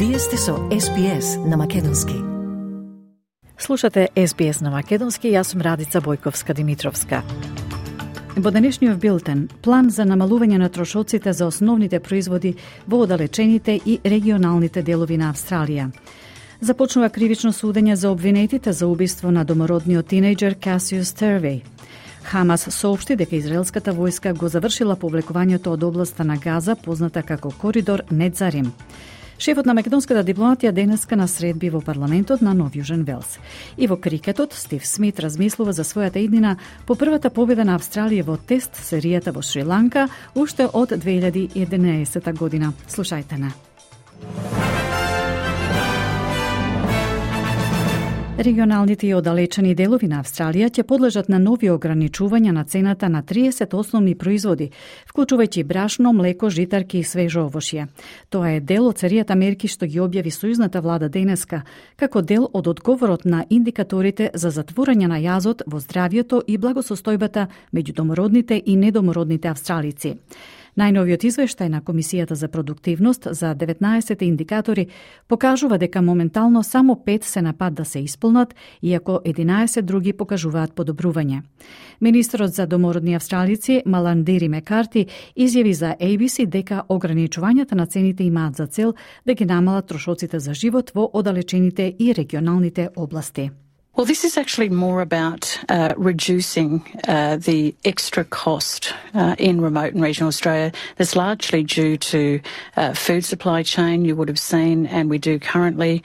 Вие сте со SBS на Македонски. Слушате SBS на Македонски, јас сум Радица Бојковска-Димитровска. Во денешниот билтен, план за намалување на трошоците за основните производи во оддалечените и регионалните делови на Австралија. Започнува кривично судење за обвинетите за убиство на домородниот тинејџер Cassius Turvey. Хамас соопшти дека израелската војска го завршила повлекувањето од областа на Газа, позната како коридор Недзарим. Шефот на македонската дипломатија денеска на средби во парламентот на Нов Јужен Велс. И во крикетот, Стив Смит размислува за својата иднина по првата победа на Австралија во тест серијата во Шри-Ланка уште од 2011 година. Слушајте на. Регионалните и оддалечени делови на Австралија ќе подлежат на нови ограничувања на цената на 30 основни производи, вклучувајќи брашно, млеко, житарки и свежо овошје. Тоа е дел од серијата мерки што ги објави сојузната влада денеска, како дел од одговорот на индикаторите за затворање на јазот во здравјето и благосостојбата меѓу домородните и недомородните австралици. Најновиот извештај на Комисијата за продуктивност за 19 индикатори покажува дека моментално само 5 се на пат да се исполнат, иако 11 други покажуваат подобрување. Министерот за домородни австралици Маландири Мекарти изјави за ABC дека ограничувањата на цените имаат за цел да ги намалат трошоците за живот во оддалечените и регионалните области. Well, this is actually more about reducing the extra cost in remote and regional Australia that's largely due to food supply chain. You would have seen, and we do currently,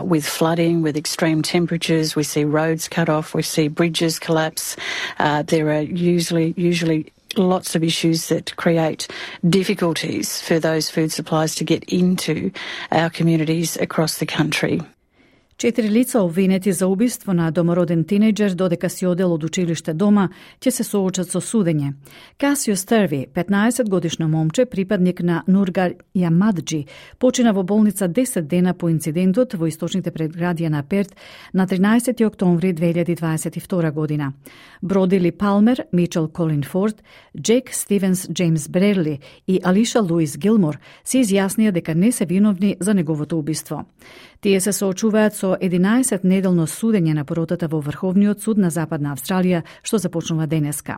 with flooding, with extreme temperatures, we see roads cut off, we see bridges collapse. There are usually lots of issues that create difficulties for those food supplies to get into our communities across the country. 4 лица обвинети за убиство на домороден тинејџер додека си одел од училиште дома ќе се соочат со судење. Cassius Turvey, 15-годишно момче, припадник на Нургар Јамаджи, почина во болница 10 дена по инцидентот во источните предградија на Перт на 13 октомври 2022 година. Бродили Палмер, Мичел Колин Форд, Джек Стивенс Джеймс Брерли и Алиша Луис Гилмор се изјаснија дека не се виновни за неговото убиство. Тие се соочуваат со 11 неделно судење на поротата во Врховниот суд на Западна Австралија, што започнува денеска.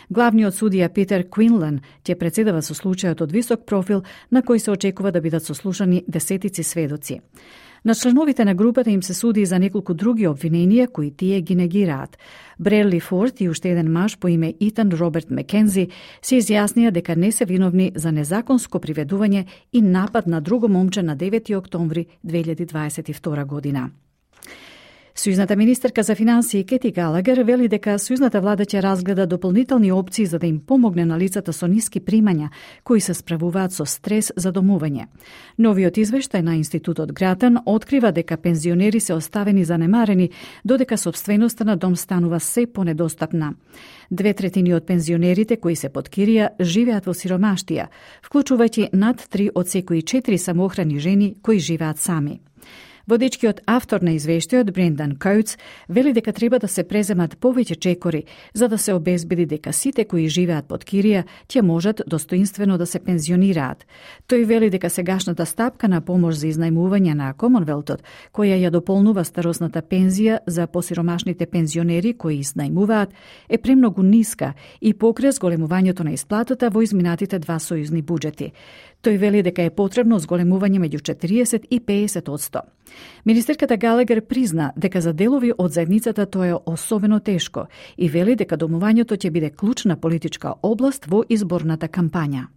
Главниот судија Питер Квинлан ќе претседава со случајот од висок профил на кој се очекува да бидат сослушани десетици сведоци. На членовите на групата им се суди за неколку други обвиненија кои тие ги негираат. Брерли Форд и уште еден маж по име Итан Роберт Мекензи се изјаснија дека не се виновни за незаконско приведување и напад на друго момче на 9 октомври 2022 година. Сојузната министерка за финансии Кети Галагер вели дека сојузната влада ќе разгледа дополнителни опции за да им помогне на лицата со ниски примања кои се справуваат со стрес за домување. Новиот извештај на Институтот Гратан открива дека пензионери се оставени занемарени, додека сопственоста на дом станува се понедостапна. 2/3 од пензионерите кои се под кирија живеат во сиромаштија, вклучувајќи над 3 од секои 4 самоохрани жени кои живеат сами. Водечкиот автор на извештајот Брендан Коутс вели дека треба да се преземат повеќе чекори за да се обезбеди дека сите кои живеат под кирија ќе можат достоинствено да се пензионираат. Тој вели дека сегашната стапка на помош за изнајмување на Комонвелтот, која ја дополнува старосната пензија за посиромашните пензионери кои изнајмуваат, е премногу ниска и покрие зголемувањето на исплатата во изминатите 2 сојузни буџети. Тој вели дека е потребно зголемување меѓу 40 и 50%. Министерката Галагер призна дека за делови од заедницата тоа е особено тешко и вели дека домувањето ќе биде клучна политичка област во изборната кампања.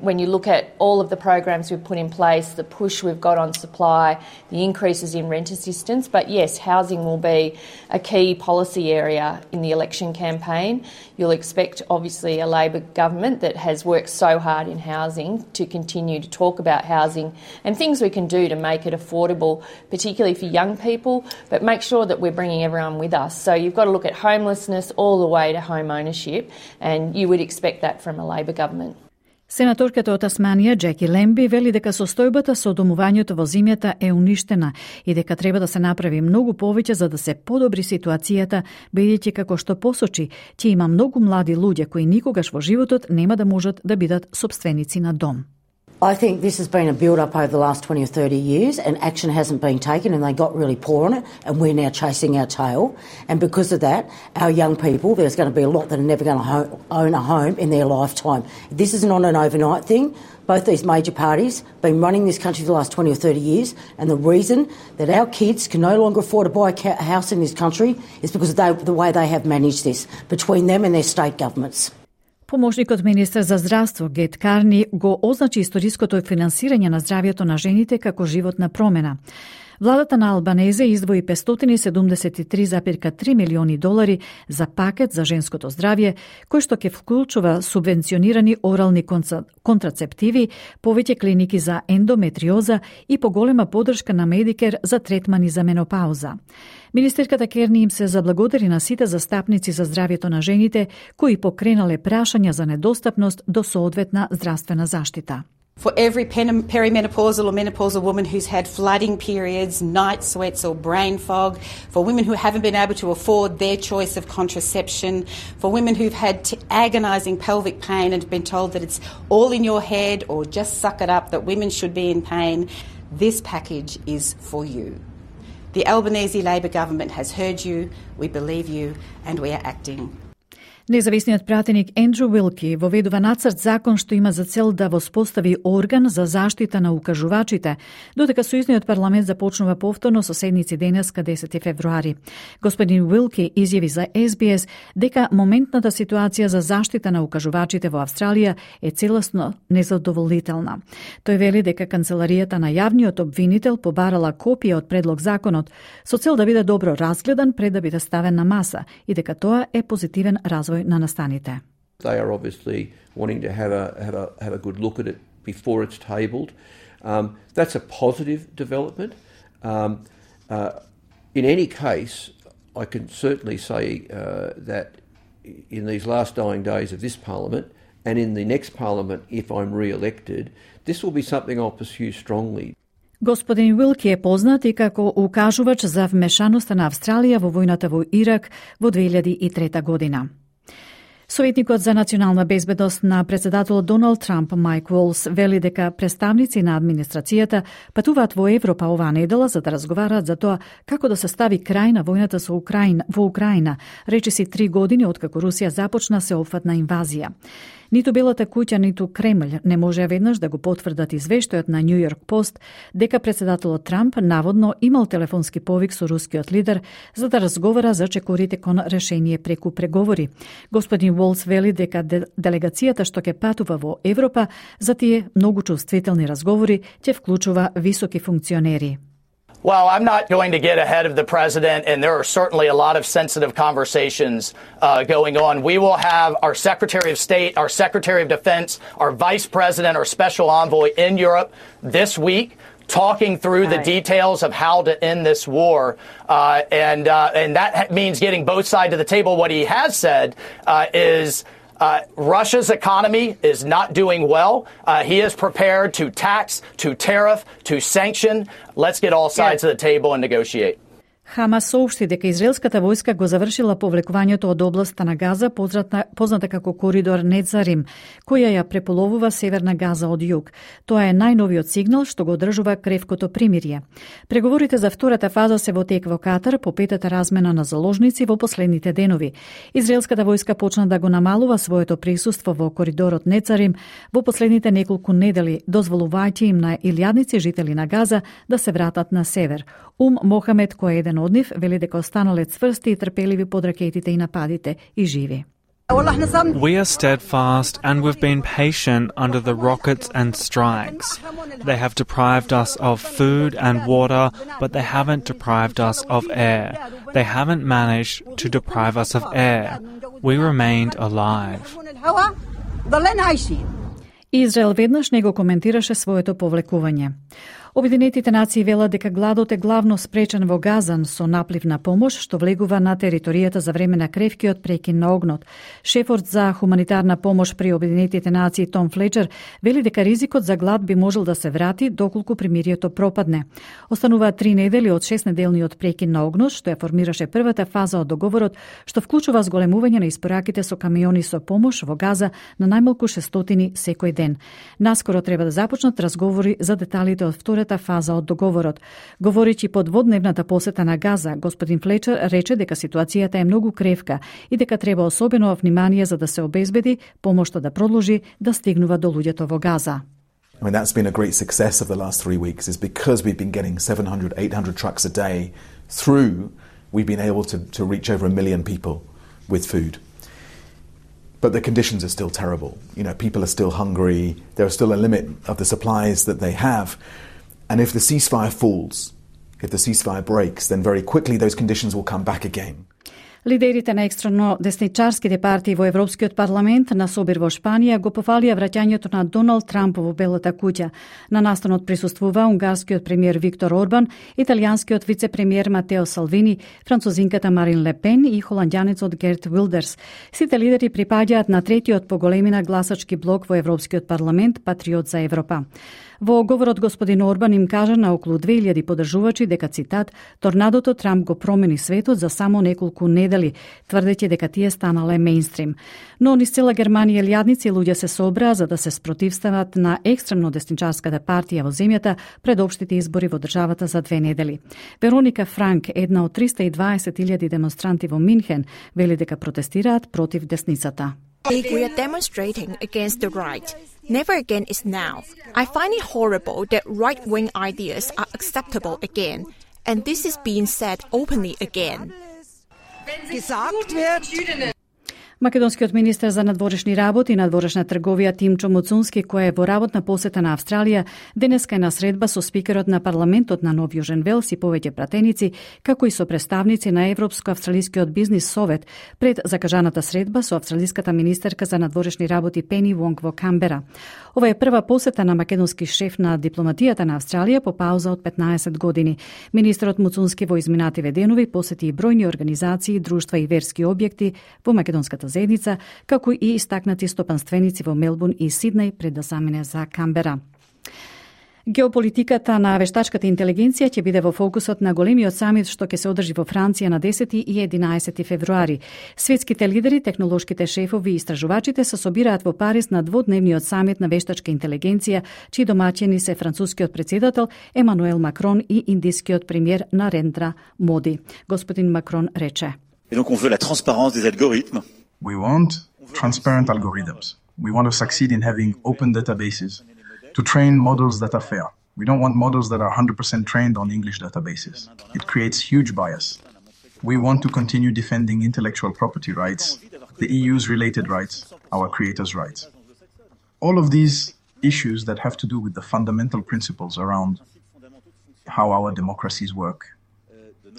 When you look at all of the programs we've put in place, the push we've got on supply, the increases in rent assistance, but yes, housing will be a key policy area in the election campaign. You'll expect, obviously, a Labor government that has worked so hard in housing to continue to talk about housing and things we can do to make it affordable, particularly for young people, but make sure that we're bringing everyone with us. So you've got to look at homelessness all the way to home ownership, and you would expect that from a Labor government. Сенаторката од Тасманија, Джеки Лемби, вели дека состојбата со домувањето во земјата е уништена и дека треба да се направи многу повеќе за да се подобри ситуацијата, бидејќи како што посочи, ќе има многу млади луѓе кои никогаш во животот нема да можат да бидат сопственици на дом. I think this has been a build-up over the last 20 or 30 years and action hasn't been taken and they got really poor on it and we're now chasing our tail. And because of that, our young people, there's going to be a lot that are never going to own a home in their lifetime. This is not an overnight thing. Both these major parties have been running this country for the last 20 or 30 years and the reason that our kids can no longer afford to buy a house in this country is because of the way they have managed this between them and their state governments. Помошникот министер за здравство Гет Карни го означи историското финансирање на здравјето на жените како животна промена. Владата на Албанезе издвои $573,3 милиони за пакет за женското здравје, кој што ќе вклучува субвенционирани орални контрацептиви, повеќе клиники за ендометриоза и поголема поддршка на Медикер за третмани за менопауза. Министерката Керни им се заблагодари на сите застапници за здравјето на жените кои покренале прашања за недостапност до соодветна здравствена заштита. For every perimenopausal or menopausal woman who's had flooding periods, night sweats or brain fog, for women who haven't been able to afford their choice of contraception, for women who've had agonising pelvic pain and been told that it's all in your head or just suck it up, that women should be in pain, this package is for you. The Albanese Labor government has heard you, we believe you, and we are acting. Независниот пратеник Ендрю Уилки воведува нацрт закон што има за цел да воспостави орган за заштита на укажувачите, додека сојузниот парламент започнува повторно со седници денеска 10 февруари. Господин Уилки изјави за SBS дека моментната ситуација за заштита на укажувачите во Австралија е целосно незадоволителна. Тој вели дека канцеларијата на јавниот обвинител побарала копија од предлог законот со цел да биде добро разгледан пред да биде ставен на маса и дека тоа е позитивен развој на настаните. They are obviously wanting to have a good look at it before it's tabled. That's a positive development. In any case, I can certainly say that in these last dying days of this Parliament and in the next Parliament, if I'm re-elected, this will be something I'll pursue strongly. Господин Уилки е познат и како укажувач за вмешаноста на Австралија во војната во Ирак во 2003 година. Советникот за национална безбедност на председателот Доналд Трамп Майк Волс вели дека представници на администрацијата патуваат во Европа оваа недела за да разговараат за тоа како да се стави крај на војната во Украина, речиси 3 години откако Русија започна сеопфатна инвазија. Ниту Белата куќа, ниту Кремљ не може веднаш да го потврдат извештајот на Нью Йорк Пост дека председателот Трамп наводно имал телефонски повик со рускиот лидер за да разговара за чекорите кон решение преку преговори. Господин Волс вели дека делегацијата што ќе патува во Европа за тие многу чувствителни разговори ќе вклучува високи функционери. Well, I'm not going to get ahead of the president, and there are certainly a lot of sensitive conversations going on. We will have our Secretary of State, our Secretary of Defense, our Vice President, our Special Envoy in Europe this week, talking through the details of how to end this war, and that means getting both sides of the table. What he has said is Russia's economy is not doing well. He is prepared to tax, to tariff, to sanction. Let's get all sides of the table and negotiate. Хамас соопшти дека израелската војска го завршила повлекувањето од областа на Газа, позната како коридор Нецарим, која ја преполовува северна Газа од југ. Тоа е најновиот сигнал што го одржува кревкото примирие. Преговорите за втората фаза се во тек во Катар по петата размена на заложници во последните денови. Израелската војска почна да го намалува своето присуство во коридорот Нецарим во последните неколку недели, дозволувајќи им на илјадници жители на Газа да се вратат на север. Мохамед, кој е еден од нив, вели дека останале цврсти и трпеливи под ракетите и нападите и живи. We are steadfast and we've been patient under the rockets and strikes. They have deprived us of food and water, but they haven't deprived us of air. They haven't managed to deprive us of air. We remained alive. Израел веднаш не го коментираше своето повлекување. Обединетите нации велат дека гладот е главно спречен во Газа со наплив на помош што влегува на територијата за време на кревкиот прекин на огнот. Шефот за хуманитарна помош при Обединетите нации Том Флечер вели дека ризикот за глад би можел да се врати доколку примирието пропадне. Остануваат 3 недели од 6-неделниот прекин на огнот што ја формираше првата фаза од договорот што вклучува зголемување на испораките со камиони со помош во Газа на најмалку 600 секој ден. Наскоро треба да започнат разговори за деталите од втората фаза од договорот. Говоречи по дводневната посета на Газа, господин Флечер рече дека ситуацијата е многу кревка и дека треба особено внимание за да се обезбеди помошта да продолжи да стигнува до луѓето во Газа. I mean, that's been a great success of the last 3 weeks is because we've been getting 700, 800 trucks a day through, we've been able to reach over 1 million people with food. But the conditions are still terrible. You know, people are still hungry. There's still a limit of the supplies that they have. And if the ceasefire falls, if the ceasefire breaks, then very quickly those conditions will come back again. Лидерите на екстремно десничарските партии во Европскиот парламент на собир во Шпанија го пофалија враќањето на Доналд Трамп во Белата куќа. На настанот присуствува унгарскиот премиер Виктор Орбан, италијанскиот вице-премиер Матео Салвини, французинката Марин Ле Пен и холандјанецот Герт Вилдерс. Сите лидери припаѓаат на третиот по големина гласачки блок во Европскиот парламент Патриот за Европа. Во говорот господин Орбан им кажа на околу 2000 поддржувачи дека, цитат, торнадото Трамп го промени светот за само неколку недели, тврдејќи дека тие станале мејнстрим. Но низ цела Германија илјадници луѓе се собраа за да се спротивстават на екстремно десничарската партија во земјата пред општите избори во државата за 2 недели. Вероника Франк, една од 320.000 демонстранти во Минхен, вели дека протестираат против десницата. We are demonstrating against the right. Never again is now. I find it horrible that right-wing ideas are acceptable again, and this is being said openly again. Македонскиот министер за надворешни работи и надворешна трговија Тимчо Муцунски, кој е во работна посета на Австралија, денеска е на средба со спикерот на парламентот на Нов Јужен Велс и повеќе пратеници, како и со представници на Европско-австралискиот бизнис совет пред закажаната средба со австралиската министерка за надворешни работи Пени Вонг во Камбера. Ова е прва посета на македонски шеф на дипломатијата на Австралија по пауза од 15 години. Министерот Муцунски во изминативе денови посети и бројни организации, друштва и верски објекти во македонската заедница, како и истакнати стопанственици во Мелбурн и Сиднеј пред да замине за Камбера. Геополитиката на вештачката интелигенција ќе биде во фокусот на големиот самит што ќе се одржи во Франција на 10 и 11 февруари. Светските лидери, технолошките шефови и истражувачите се собираат во Париз на дводневниот самит на вештачка интелигенција, чии домаќини се францускиот председател Емануел Макрон и индискиот премиер Нарендра Моди. Господин Макрон рече: Et donc on veut la transparence des algorithmes. We want transparent algorithms. We want to succeed in having open databases to train models that are fair. We don't want models that are 100% trained on English databases. It creates huge bias. We want to continue defending intellectual property rights, the EU's related rights, our creators' rights. All of these issues that have to do with the fundamental principles around how our democracies work,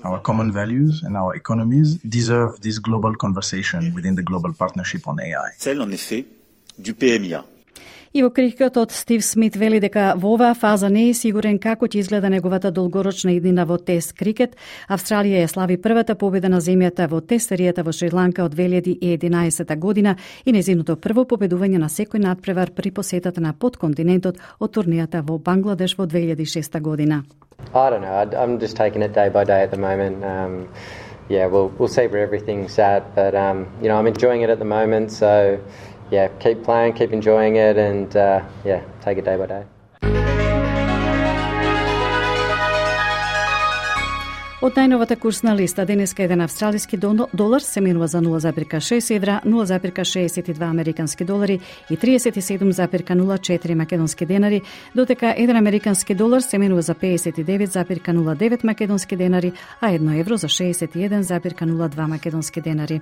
our common values and our economies deserve this global conversation within the global partnership on AI. Celle, en effet, du PMIA. И во крикетот Стив Смит вели дека во оваа фаза не е сигурен како ќе изгледа неговата долгорочна иднина во тест крикет. Австралија ја слави првата победа на земјата во тест серијата во Шри-Ланка од 2011 година и незиното прво победување на секој надпревар при посетата на подконтинентот од турнијата во Бангладеш во 2006 година. I don't know. I'm just taking it day by day at the moment. We'll see where everything's at, but I'm enjoying it at the moment. So, keep playing, keep enjoying it, and take it day by day. Од најновата курсна листа, денеска еден австралиски долар се менува за 0,6 евра, 0,62 американски долари и 37,04 македонски денари, додека еден американски долар се менува за 59,09 македонски денари, а 1 евро за 61,02 македонски денари.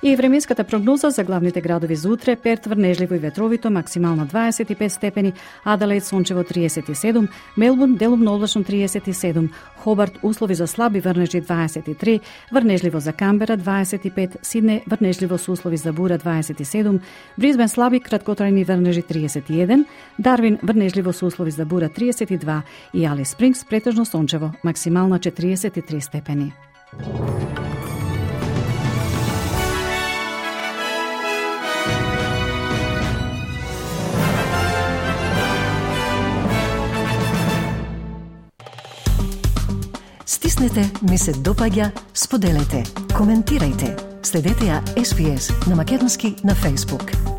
И временската прогноза за главните градови за утре: Перт врнежливо и ветровито, максимално 25 степени, Аделаид сончево 37, Мелбурн делумно облачно 37, Хобарт услови за слаб слаби врнежи 23, врнежливо за Камбера 25, Сидне врнежливо со услови за бура 27, Бризбен слаби краткотрајни врнежи 31, Дарвин врнежливо со услови за бура 32 и Алис Спрингс претежно сончево, максимална 43 степени. Стиснете, ми се допаѓа, споделете, коментирајте. Следете ја SPS на Македонски на Facebook.